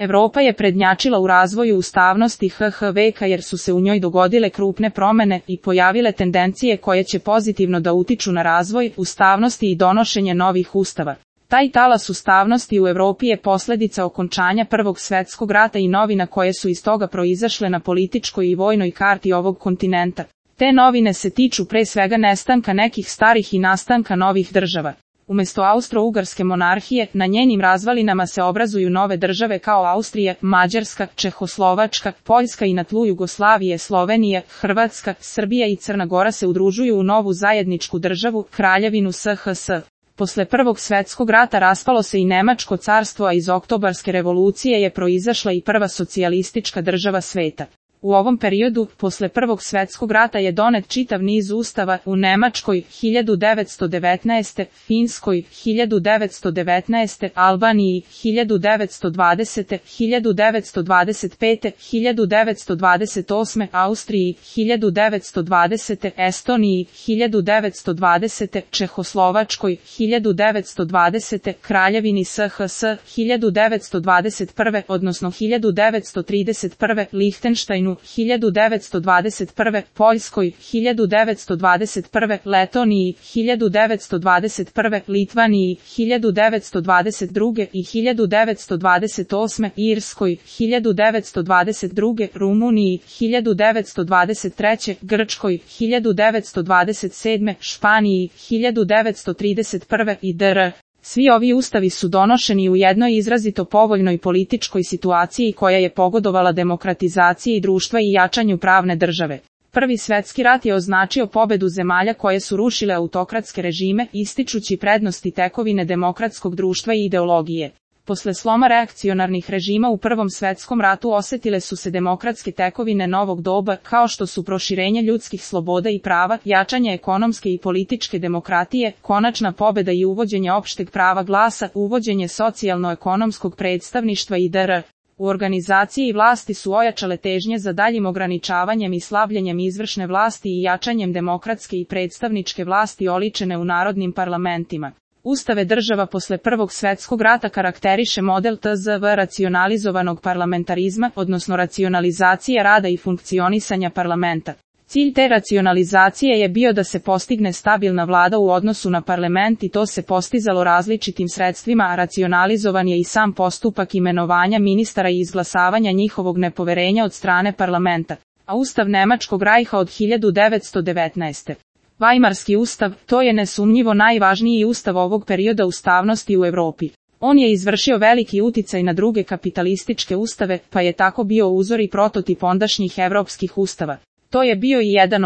Evropa je prednjačila u razvoju ustavnosti veka jer su se u njoj dogodile krupne promene i pojavile tendencije koje će pozitivno da utiču na razvoj ustavnosti i donošenje novih ustava. Taj talas ustavnosti u Evropi je posljedica okončanja Prvog svjetskog rata i novina koje su iz toga proizašle na političkoj i vojnoj karti ovog kontinenta. Te novine se tiču pre svega nestanka nekih starih i nastanka novih država. Umjesto Austro-Ugarske monarhije, na njenim razvalinama se obrazuju nove države kao Austrija, Mađarska, Čehoslovačka, Poljska i na tlu Jugoslavije, Slovenija, Hrvatska, Srbija i Crna Gora se udružuju u novu zajedničku državu, Kraljevinu SHS. Posle Prvog svjetskog rata raspalo se i Nemačko carstvo, a iz Oktobarske revolucije je proizašla i prva socijalistička država sveta. U ovom periodu, posle Prvog svjetskog rata je donet čitav niz ustava u Nemačkoj 1919, Finskoj 1919, Albaniji 1920, 1925, 1928, Austriji 1920, Estoniji 1920, Čehoslovačkoj 1920, Kraljevini SHS 1921, odnosno 1931, Lihtenštajnu 1921, Poljskoj 1921, Letoniji 1921, Litvaniji 1922 i 1928, Irskoj 1922, Rumuniji 1923, Grčkoj 1927, Španiji 1931 i dr. Svi ovi ustavi su donošeni u jednoj izrazito povoljnoj političkoj situaciji koja je pogodovala demokratizaciji društva i jačanju pravne države. Prvi svjetski rat je označio pobedu zemalja koje su rušile autokratske režime, ističući prednosti tekovine demokratskog društva i ideologije. Posle sloma reakcionarnih režima u Prvom svjetskom ratu osjetile su se demokratske tekovine novog doba, kao što su proširenje ljudskih sloboda i prava, jačanje ekonomske i političke demokratije, konačna pobeda i uvođenje opšteg prava glasa, uvođenje socijalno-ekonomskog predstavništva i dr. U organizaciji vlasti su ojačale težnje za daljim ograničavanjem i slabljenjem izvršne vlasti i jačanjem demokratske i predstavničke vlasti oličene u narodnim parlamentima. Ustave država posle Prvog svjetskog rata karakteriše model tzv. Racionalizovanog parlamentarizma, odnosno racionalizacije rada i funkcionisanja parlamenta. Cilj te racionalizacije je bio da se postigne stabilna vlada u odnosu na parlament i to se postizalo različitim sredstvima, a racionalizovan je i sam postupak imenovanja ministara i izglasavanja njihovog nepoverenja od strane parlamenta. A Ustav Nemačkog rajha od 1919. Vajmarski ustav, to je nesumnjivo najvažniji ustav ovog perioda ustavnosti u Evropi. On je izvršio veliki uticaj na druge kapitalističke ustave, pa je tako bio uzor i prototip ondašnjih evropskih ustava. To je bio i jedan